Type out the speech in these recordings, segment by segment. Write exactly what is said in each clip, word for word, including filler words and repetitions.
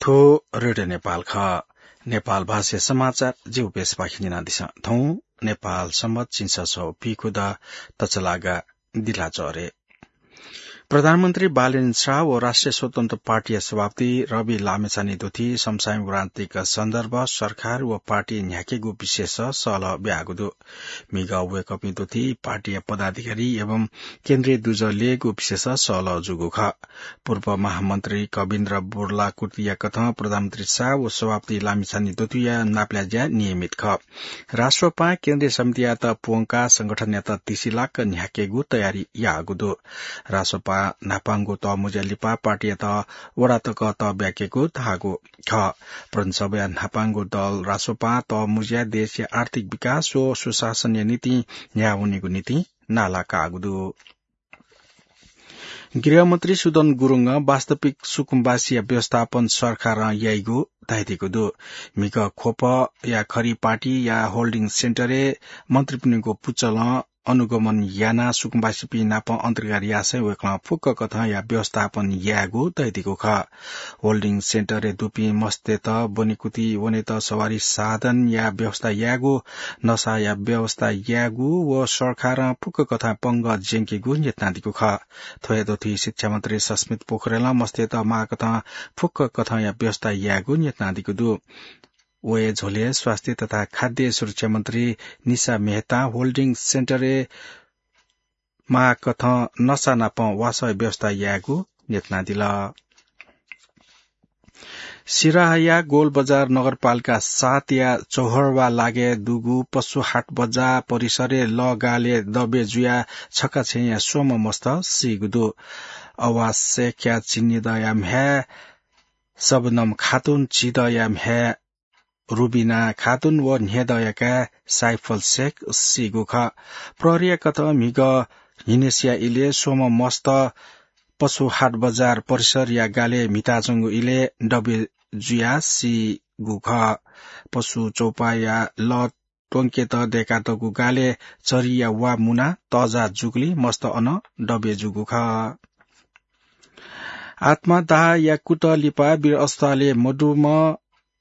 थ्व रेडियो नेपाल खः। नेपाल भाषा समाचार जिगु बेसपाखे न्यनादिसँ। थौं नेपाल संवत झिंछसः व पीखुदँ तछलागा दिलाचह्रे। प्रधानमन्त्री बालेन शाह व राष्ट्रिय स्वतन्त्र पार्टीया सभापति रवि लामिछाने दुथि समसामयिक राजनीतिक सन्दर्भ, सरकार व पार्टी न्ह्याकेगु विषयस सहलह ब्याःगु दु। म्हिगः वय्कःपिं दुथि पार्टीया पदाधिकारी एवं केन्द्रीय दुजः ल्ययेगु विषयस सहलह जूगु खः। पूर्व महामन्त्री कविन्द्र बोर्लाकुतिया कथं प्रधानमन्त्री शाह व सभापति लामिछाने दुथिया नापलाये ज्या नियमित खः। राष्ट्रपां केन्द्रीय समितियात प्वंकाः संगठनयात तिसिलाक न्ह्याकेगु तयारी याःगु दु। राष्ट्रपां न्हापांगु तःमुँज्या लिपा पार्टीयात वडा तक तःब्याकेगु धाःगु खः। प्रदेशसभाया न्हापांगु दल राष्ट्रपां तःमुँज्या देशया आर्थिक विकास व सुशासनया निंतिं न्ह्याः वनेगु निंतिं नाला काःगु दु। गृहमन्त्री सुदन गुरुङं वास्तविक सुकुम्बासीया व्यवस्थापन सरकारं याइगु धयादीगु दु। म्हिगः ख्वपया खरि पार्टीया होल्डिङ सेन्टरय् मन्त्रीपिनिगु पुचलं अनुगमन यानाः सुकुम्बासीपिं नाप अन्तर्क्रिया यासें वय्कलं फुक्क कथंया व्यवस्थापन यायेगु धयादीगु खः। होल्डिङ सेन्टरय् दुपिं मस्तय्त ब्वनेकुथि वनेत सवारी साधनया व्यवस्था यायेगु, नसाया व्यवस्था यायेगु व सरकारं फुक्क कथं पंगः ज्यंकेगु न्ह्यथनादीगु खः। थ्व हे दुथि शिक्षा मन्त्री सस्मित पोखरेलं मस्तय्त माःकथं फुक्क कथंया व्यवस्था यायेगु न्ह्यथनादीगु दु। व हे झ्वलय् स्वास्थ्य तथा खाद्य सुरक्षा मन्त्री निशा मेहतां होल्डिङ सेन्टरय् माःकथं नसा नाप वासः व्यवस्था यायेगु न्ह्यथनादिल। सिराहाया गोलबजार नगरपालिका सातया चौहर्वा लागाय् दुगु पशु हाट बजार परिसरय् लः गालय् दबे जुयाः छकाछेँया स्वम्ह मस्त सीगु दु। अवासेख्या चिन्हिदँया म्ह्याय् शबनम खातुन, झिदँया म्ह्याय् रुबिना खातुन व न्ह्यदँया काय् साइफल शेख सीगु खः। प्रहरीया कथं म्हिगः न्हिनसिया इलय् स्वम्ह मस्त पशु हाट बजार परिसरया गालय् म्हिताच्वंगु इलय् दबे जुयाः सीगु खः। पशु चौपाःया लः त्वंकेत दय्कातःगु गालय् चरीया वा मुनाः तःजाः जूगुलिं मस्त अन दबे जूगु खः। आत्मादाहया कुतः लिपा वीर अस्पतालय् मदुम्ह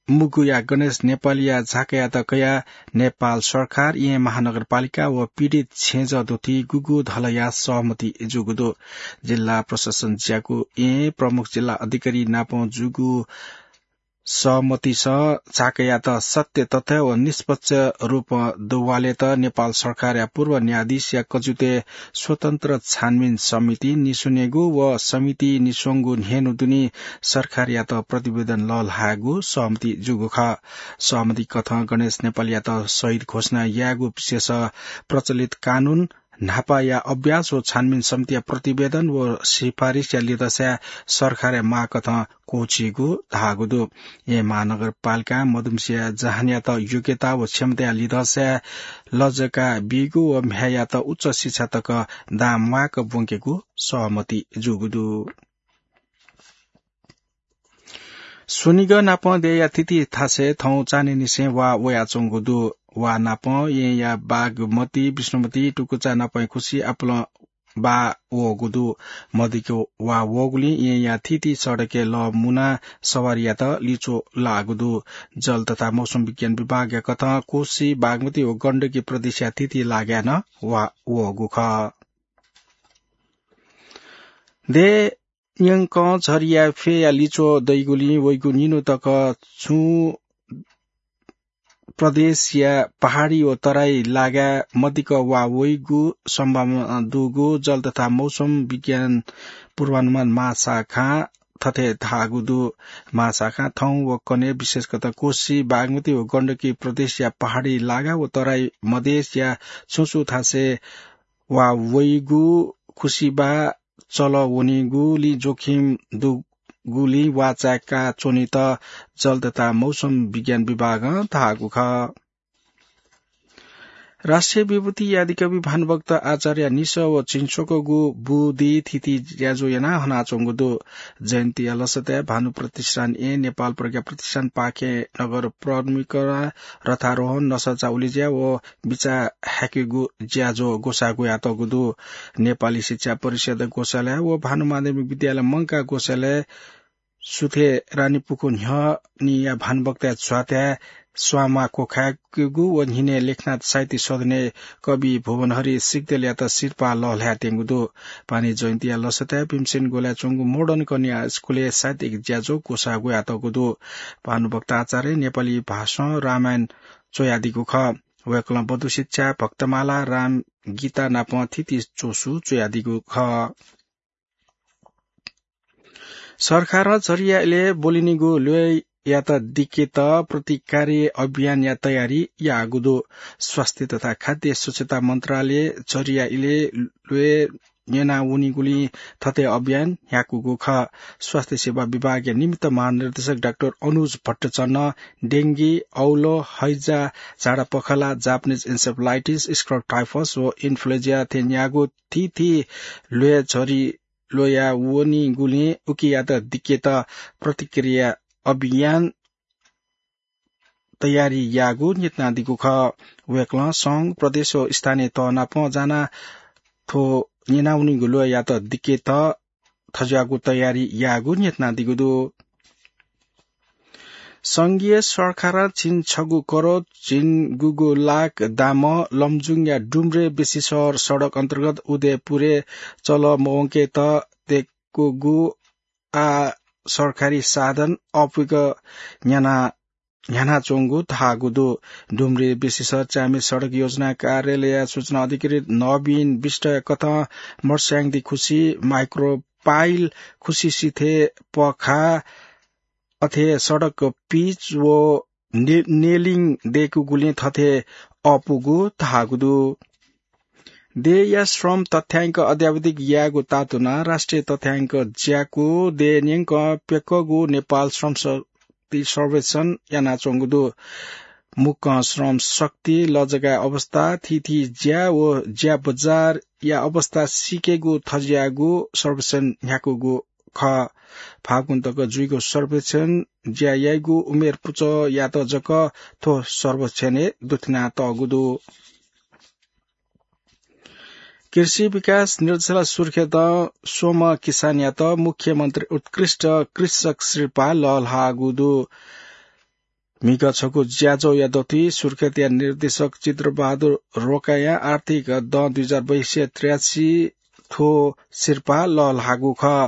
मुगुया गणेश नेपालीया झाकायात कयाः नेपाल सरकार, येँ महानगरपालिका व पीडित छेँजः दुथि गुगु धलया सहमति जूगु दु। जिल्ला प्रशासन ज्याकू येँ प्रमुख जिल्ला अधिकारी नाप जूगु सहमतिस झाकायात सत्य तथ्य व निष्पक्ष रूपं दुवालेत नेपाल सरकारया पूर्व न्यायाधीशया कजुतय् स्वतन्त्र छानबिन समिति निस्वनेगु व समिति निस्वंगु न्ह्यःने दुने सरकारयात प्रतिवेदन लःल्हायेगु सहमति जूगु खः। सहमति कथं गणेश नेपालीयात शहीद घोषणा यायेगु विषयस प्रचलित कानून, न्हापाया अभ्यास व छानबिन समितिया प्रतिवेदन व सिफारिसया लिधंसाय् सरकारया मागकथं क्वःछीगु धाःगु दु। येँ महानगरपालिकां मदुम्हसिया जहानयात योग्यता व क्षमताया लिधंसाय् लजका बीगु व म्ह्याय्‌यात उच्च शिक्षा तक दां म्वाःक ब्वंकेगु सहमति जूगु दु। स्वनिगः नाप देय्‌या थीथी थासय् थौं चान्हय्‌निसें वा वयाच्वंगु दु। वा नाप येँया बागमती, विष्णुमती, टुकुचा नापं खुसि आपालं वा वःगु दु। मदिक्क वा वःगुलिं येँया थीथी सडकय् लः मुनाः सवारीयात लिच्वः लाःगु दु। जल तथा मौसम विज्ञान विभागया कथं कोसी, बागमती व गण्डकी प्रदेशया थीथी लागाय् नं वा वःगु खः। देय् न्यंकं झरीया फ्यया लिच्वः दइगुलिं वइगु निन्हु तक छुं प्रदेशया पहाडी व तराई लागाय् मदिक्क वा वइगु सम्भावना दुगु जल तथा मौसम विज्ञान पूर्वानुमान महाशाखां थथे धाःगु दु। महाशाखां थौं व कन्हय् विशेषतः कोसी, बागमती व गण्डकी प्रदेशया पहाडी लागा व तराई मधेशया छुं छुं थासय् वा वइगु, खुसिबा चल वनीगुलिं जोखिम दुगुलिं वा चाय्‌का च्वनेत जल तथा मौसम विज्ञान विभागं धाःगु खः। राष्ट्रिय विभूति आदिकवि भानुभक्त आचार्य निसः व झिंस्वकःगु बुदिं थीथी ज्याझ्वः यानाः हनाच्वंगु दु। जयन्तीया लसताय् भानु प्रतिष्ठान येँ, नेपाल प्रज्ञा प्रतिष्ठान पाखें नगर परिक्रमा, रथारोहण, नसःचा उलेज्या व बिचाः हाकेगु ज्याझ्वः ग्वसाः ग्वयातःगु दु। नेपाली शिक्षा परिषद ग्वसालय व भानु माध्यमिक विद्यालय मंकाः ग्वसालय सुथय् रानीपुखु न्ह्यःनिया भानुभक्तया झ्वाताय् स्वांमाः क्वखाय्केगु व न्हिनय् लेखनाथ साहित्य सदनय् कवि भुवनहरि सिग्देलयात सिरपाः लःल्हायेत्यंगु दु। पानी जयन्तीया लसताय् भीमसेन गोलाय् च्वंगु मोडर्न कन्या स्कूलय् साहित्यिक ज्याझ्वः क्वसाः ग्वयातःगु दु। भानुभक्त आचार्यं नेपाली भाषां रामायण च्वयादीगु खः। वय्कलं बधुशिक्षा, भक्तमाला, राम गीता नाप थीथी च्वसु च्वयादीगु खः। सरकारं झरिया इलय् ब्वलिनिगु ल्वय्यात दिकेत प्रतिकारी अभियानया तयारी याःगु दु। स्वास्थ्य तथा खाद्य स्वच्छता मन्त्रालयं झरिया इलय् ल्वय् न्यनावनीगुलिं थथे अभियान न्ह्याकूगु खः। स्वास्थ्य सेवा विभागया निमित्त महानिर्देशक डाक्टर अनुज भट्टचन्नं डेंगी, औलो, हैजा, झाडा pakhala, Japanese encephalitis, scrub typhus व इन्फ्लुएन्जा थें न्यागू थीथी ल्वय् झरि ल्वया वनीगुलिं उकियात दिकेत प्रतिक्रिया अभियान तयारी याःगु न्ह्यथनादीगु खः। वय्कलं संघ, प्रदेश व स्थानीय तह नाप जानाः थ्व न्यनावनीगु ल्वय्यात दिकेत थज्याःगु तयारी याःगु न्ह्यथनादीगु दु। संघीय सरकारं झिंछगू करोड झिंगूगू लाख दामं लमजुङया डुम्रे बेसीसहर सडक अन्तर्गत उदयपुरय् चलमवंकेत दय्कूगु आः सरकारी साधन अःपुक न्ह्याना न्ह्यानाच्वंगु धाःगु दु। डुम्रे बेसीसहर च्याम्हे सडक योजना कार्यालयया सूचना अधिकृत नवीन विष्टया कथं मर्स्याङदी खुसी, माइक्रोपाइल, खुसी सिथय् पखा, अथे सडक पिच व ने-, नेलिङ दय्कूगुलिं थथे अःपुगु धाःगु दु। देय्या श्रम तथ्याङ्क अद्यावधिक यायेगु तातुनाः राष्ट्रिय तथ्याङ्क ज्याकू देय् न्यंक प्यक्वःगु नेपाल श्रम शक्ति सर्वेक्षण यानाच्वंगु दु। मुक्कं श्रम शक्ति, लजगाःया अवस्था, थीथी ज्या व ज्या बजारया अवस्था सीकेगु थज्याःगु सर्वेक्षण न्ह्याकूगु खः। फागुन तक जुइगु सर्वेक्षण ज्या याइगु उमेर पुचःयात जक थ्व सर्वेक्षणय् दुथ्यानातःगु दु। कृषि विकास निर्देशालय सुर्खेतं स्वम्ह किसानयात मुख्यमन्त्री उत्कृष्ट कृषक सिरपाः लःल्हाःगु दु। म्हिगः छकू ज्याझ्वःया दथुइ सुर्खेतया निर्देशक चित्रबहादुर रोकायां आर्थिक दँ दुई हजार बयासी त्रियासी थ्व सिरपाः लःल्हाःगु खः।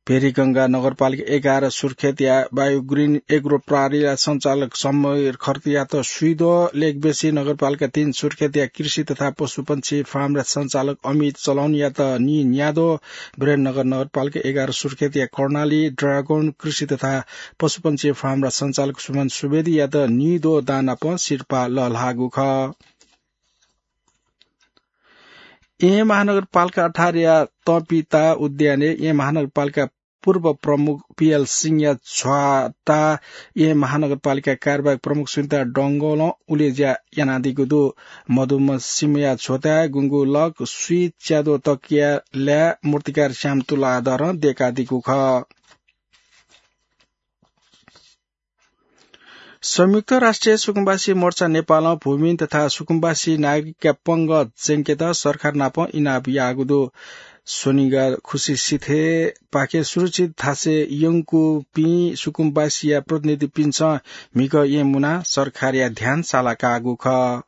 भेरीगंगा नगरपालिका एघार सुर्खेतया बायोग्रिन एग्रो प्रहरीया सञ्चालक समीर खर्तीयात स्वीद्वः, लेकबेसी नगरपालिका तीन सुर्खेतया कृषि तथा पशुपन्छी फार्मया सञ्चालक अमित चलौनयात नीन्याद्वः, वीरेन्द्रनगर नगरपालिका एघार सुर्खेतया कर्णाली ड्रागन कृषि तथा पशुपन्छी फार्मया सञ्चालक सुमन सुवेदीयात नीद्वः दां नाप सिरपाः लःल्हाःगु खः। येँ महानगरपालिका अठारया तपिता उद्यानय् येँ महानगरपालिका पूर्व प्रमुख पीएल सिंहया झ्वाता येँ महानगरपालिका कार्यवाहक प्रमुख सुनिता डंगोलं उलेज्या यानादीगु दु। मदुम्ह सिंहया झ्वताय् गुंगू लक स्वीच्याद्वः तकिया लाय् मूर्तिकार श्याम तुलाधरं दय्कादीगु खः। संयुक्त राष्ट्रिय सुकुम्बासी मोर्चा नेपालं भूमिहीन तथा सुकुम्बासी नागरिकया पंगः ज्यंकेत सरकार नाप इनाप याःगु दु। स्वनिगः खुसी सिथय् पाखे सुरक्षित थासय् यंकूपिं सुकुम्बासीया प्रतिनिधिपिन्सं म्हिगः येँ मुनाः सरकारया ध्यान सालाकाःगु खः।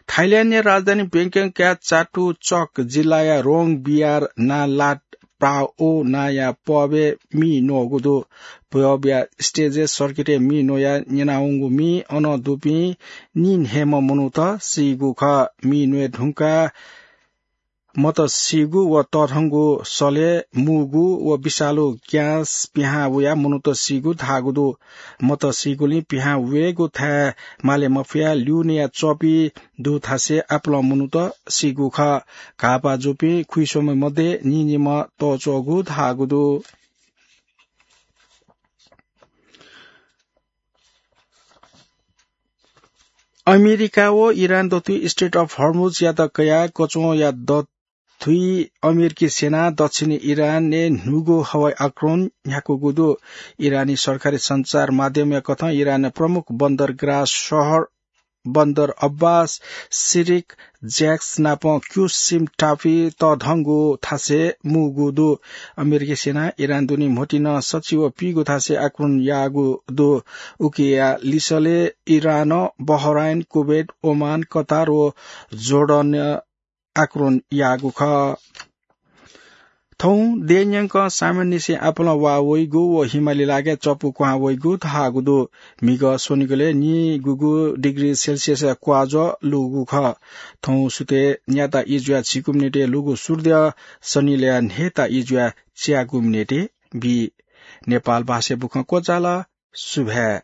थाइल्याण्डया राजधानी ब्याङ्ककया चाटुचक जिल्लाया रोङ बियार नालाट प्राओ नांया पबय् मि न्वःगु दु। पबया स्टेजय् सर्किटय् मि न्वयाः न्यनावंगु मिइ अन दुपिं नीन्हय्म्ह मनूत सीगु खः। मि न्वये धुंकाः मत सीगु व तःधंगु सलय् मूगु व विषालु ग्यास पिहां वयाः मनूत सीगु धाःगु दु। मत सीगुलिं पिहां वयेगु थाय् माले मफयाः ल्यूनेया च्वपि दु थासय् आपालं मनूत सीगु खः। घाःपाः जूपिं खुइस्वम्ह मध्ये नीनिम्ह तःच्वःगु धाःगु दु। अमेरिका व इरान दथुइ स्ट्रेट अफ हर्मुजयात कयाः कच्वंया दथुइ अमेरिकी सेनां दक्षिणी इरानय् न्हूगु हवाई आक्रमण न्ह्याकूगु दु। इरानी सरकारी सञ्चार माध्यमया कथं इरानया प्रमुख बन्दरगाह सहर बन्दर अब्बास, सिरिक ज्याक्स नाप क्युसिम टापु तःधंगु थासय् मुगु दु। अमेरिकी सेनां इरान दुने म्होतिं सच्छि व पीगु थासय् आक्रमण याःगु दु। उकिया लिसलय् इरान, बहराइन, कुवेत, ओमान, कतार व जोर्डन आक्रमण याःगु खः। थौं देय्‌न्यंक सामान्यनिसें आपालं वाः वइगु व हिमालय लागाय् चपु क्वहां वइगु धाःगु दु। म्हिगः स्वनिगलय् निगूगु डिग्री सेल्सियस क्वाज्वः लूगु खः। थौं सुथय् न्याता ई जुयाः झिगू मिनेटय् लूगु सूर्य सनिलय् न्हय्‌ता ई जुयाः च्यागू मिनेटय् बी। नेपाल भाषाय् बुखँ क्वचाल। सुभाय्।